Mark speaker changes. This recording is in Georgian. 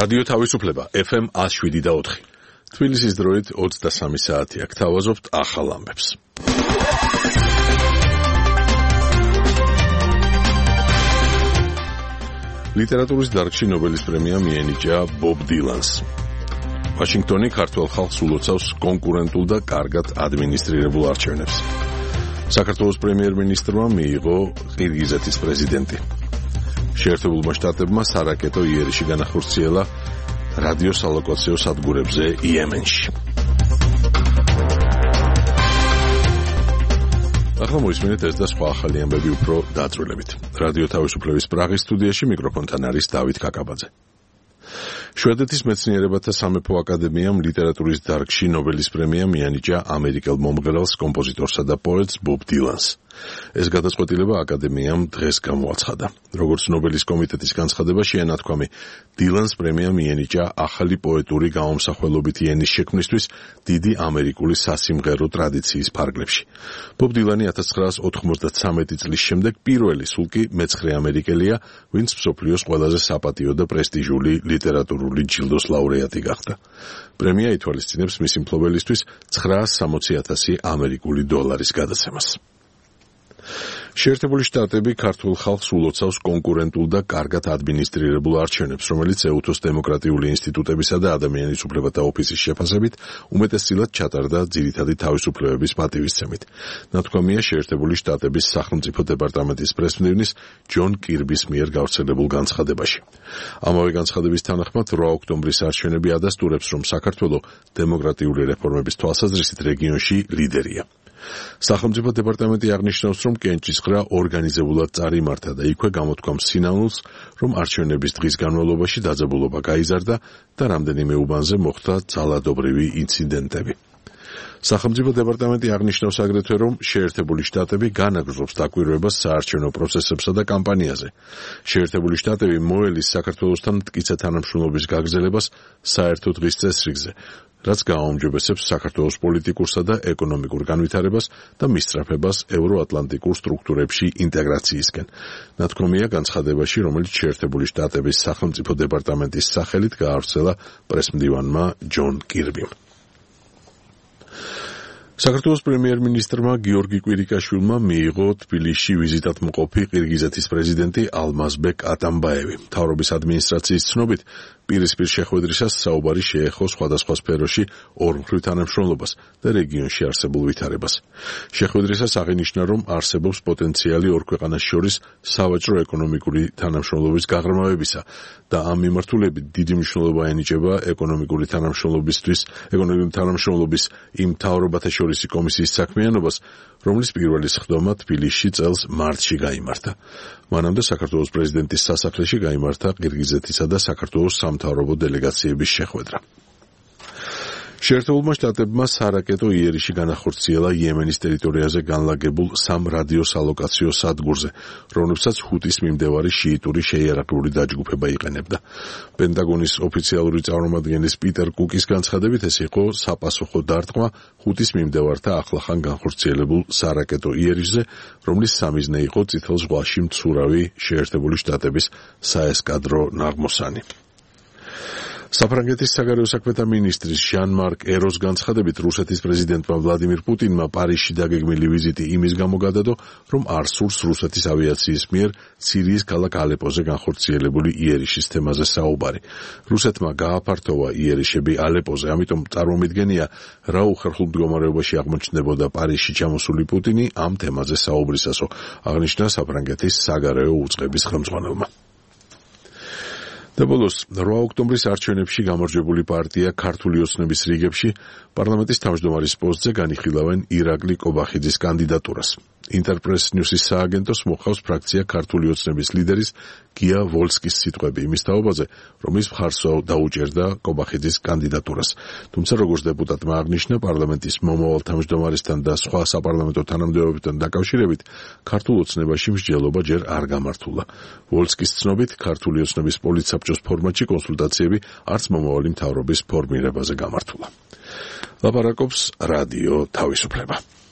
Speaker 1: რადიო თავისუფლება FM 107.4. თბილისის დროით 23 საათია. გთავაზობთ ახალ ამბებს. ლიტერატურის დარგში ნობელის პრემია მიენიჭა ბობ დილანს. ვაშინგტონი ქართველ ხალხს ულოცავს კონკურენტულ და კარგად ადმინისტრირებულ არჩევნებს. საქართველოს პრემიერ-მინისტრმა მიიღო ყირგიზეთის პრეზიდენტი. შეერთებულმა შტატებმა სარაკეტო იერიში განახორციელა რადიოსალოკაციო სადგურებზე იემენში. ახლა მოისმინეთ ეს და სხვა ახალი ამბები უფრო დაწვრილებით. რადიო თავისუფლების პრაღის სტუდიაში მიკროფონთან არის დავით კაკაბაძე. შვედეთის მეცნიერებათა სამეფო აკადემიამ ლიტერატურის დარგში ნობელის პრემია მიენიჭა ამერიკელ მომღერალს, კომპოზიტორსა და პოეტს ბობ დილანს. ეს გადაწყვეტილება აკადემიამ დღეს გამოაცხადა. როგორც ნობელის კომიტეტის განცხადებაში ენათქვამი, დილანს პრემია მიენიჭა ახალი პოეტური გამომსახველობითი ენის შექმნისთვის დიდი ამერიკული სასიმღერო ტრადიციის ფარგლებში. ბობ დილანი 1993 წლის შემდეგ პირველი, სულ კი მეცხრე ამერიკელია, ვინც მსოფლიოს ყველაზე საპატიო და პრესტიჟული ლიტერატურული ჯილდოს ლაურეატი გახდა. პრემია ითვალისწინებს მისი მფლობელისთვის 960,000 ამერიკული დოლარის გადაცემას. შეერთებული შტატები ქართულ ხალხს ულოცავს კონკურენტულ და კარგად ადმინისტრირებულ არჩევნებს, რომელიც ეუთოს დემოკრატიული ინსტიტუტებისა და ადამიანის უფლებათა ოფისის შეფასებით უმეტესწილად ჩატარდა ძირითადი თავისუფლებების პატივისცემით. ნათქვამია შეერთებული შტატების სახელმწიფო დეპარტამენტის პრესმდივნის ჯონ კირბის მიერ გავრცელებულ განცხადებაში. ამავე განცხადების თანახმად 8 ოქტომბრის არჩევნები ადასტურებს, რომ საქართველო დემოკრატიული რეფორმების თვალსაზრისით რეგიონში ლიდერია. სახელმწიფო დეპარტამენტი აღნიშნავს, რომ კენჭისყრა ორგანიზებულად წარიმართა და იქვე გამოთქვამს სინანულს, რომ არჩევნების დღის განმავლობაში დაძაბულობა გაიზარდა და რამდენიმე უბანზე მოხდა ძალადობრივი ინციდენტები. სახელმწიფო დეპარტამენტი აღნიშნავს აგრეთვე, რომ შეერთებული შტატები განაგრძობს დაკვირვებას საარჩევნო პროცესებსა და კამპანიაზე. შეერთებული შტატები მოელის საქართველოსთან მტკიცე თანამშრომლობის გაგრძელებას საერთო დღის წესრიგზე, რაც გააუმჯობესებს საქართველოს პოლიტიკურსა და ეკონომიკურ განვითარებას და მისწრაფებას ევროატლანტიკურ სტრუქტურებში ინტეგრაციისკენ. ნათქვამია განცხადებაში, რომელიც შეერთებული შტატების სახელმწიფო დეპარტამენტის სახელით გაავრცელა პრესმდივანმა ჯონ კირბიმ. საქართველოს პრემიერ-მინისტრმა გიორგი კვირიკაშვილმა მიიღო თბილისში ვიზიტად მყოფი ყირგიზეთის პრეზიდენტი ალმაზბეკ ატამბაევი. მთავრობის ადმინისტრაციის ცნობით, პირისპირ შეხვედრისას საუბარი შეეხო სხვადასხვა სფეროში ორმხრივ თანამშრომლობას და რეგიონში არსებულ ვითარებას. შეხვედრისას აღინიშნა, რომ არსებობს პოტენციალი ორ ქვეყანას შორის სავაჭრო-ეკონომიკური თანამშრომლობის გაღრმავებისა და ამ მიმართულებით დიდი მნიშვნელობა ენიჭება ეკონომიკური თანამშრომლობის იმ მთავრობათა შორისი კომისიის საქმიანობას, რომლის პირველი სხდომა თბილისში წელს მარტში გაიმართა. მანამდე საქართველოს პრეზიდენტის სასახლეში გაიმართა ყირგიზეთისა და საქართველოს სამთავრობო დელეგაციების შეხვედრა. შეერთებულმა შტატებმა სარაკეტო იერიში განახორციელა იემენის ტერიტორიაზე განლაგებულ 3 რადიოსალოკაციო სადგურზე, რომლებსაც ჰუტის მიმდევარი შიიტური შეიარაღებული დაჯგუფება იყენებდა. პენტაგონის ოფიციალური წარმომადგენლის პიტერ კუკის განცხადებით, ეს იყო საპასუხო დარტყმა ჰუტის მიმდევართა ახლახან განხორციელებულ სარაკეტო იერიშზე, რომლის სამიზნე იყო წითელ ზღვაში მცურავი შეერთებული შტატების საესკადრო ნაღმოსანი. საფრანგეთის საგარეო საქმეთა მინისტრის ჟან-მარკ ეროს განცხადებით, რუსეთის პრეზიდენტმა ვლადიმირ პუტინმა პარიზში დაგეგმილი ვიზიტი იმის გამო გადადო, რომ არ სურს რუსეთის ავიაციის მიერ სირიის ქალაქ ალეპოზე განხორციელებული იერიშის თემაზე საუბარი. რუსეთმა გააფართოვა იერიშები ალეპოზე, ამიტომ წარმომიდგენია, რა უხერხულ მდგომარეობაში აღმოჩნდებოდა პარიზში ჩამოსული პუტინი ამ თემაზე საუბრისასო, აღნიშნა საფრანგეთის საგარეო უწყების ხელმძღვანელმა. და ბოლოს 8 ოქტომბრის არჩევნებში გამარჯვებული პარტია ქართული ოცნების რიგებში პარლამენტის თავმჯდომარის პოსტზე განიხილავენ ირაკლი კობახიძის კანდიდატურას. ინტერპრეს ნიუსის სააგენტოს მოხავს ფრაქცია ქართული ოცნების ლიდერის გია ვოლსკის სიტყვები იმის თაობაზე, რომ ის მხარს დაუჭერდა კობახიძის კანდიდატურას. თუმცა როგორც დეპუტატმა აღნიშნა, პარლამენტის მომავალ თავმჯდომარესთან და სხვა საპარლამენტო თანამდებობებთან დაკავშირებით ქართულ ოცნებაში მსჯელობა ჯერ არ გამართულა. ვოლსკის ცნობით, ქართული ოცნების პოლიტსაბჭოს ფორმატში კონსულტაციები არც მომავალი მთავრობის ფორმირებაზე გამართულა. ლაპარაკობს რადიო თავისუფლება.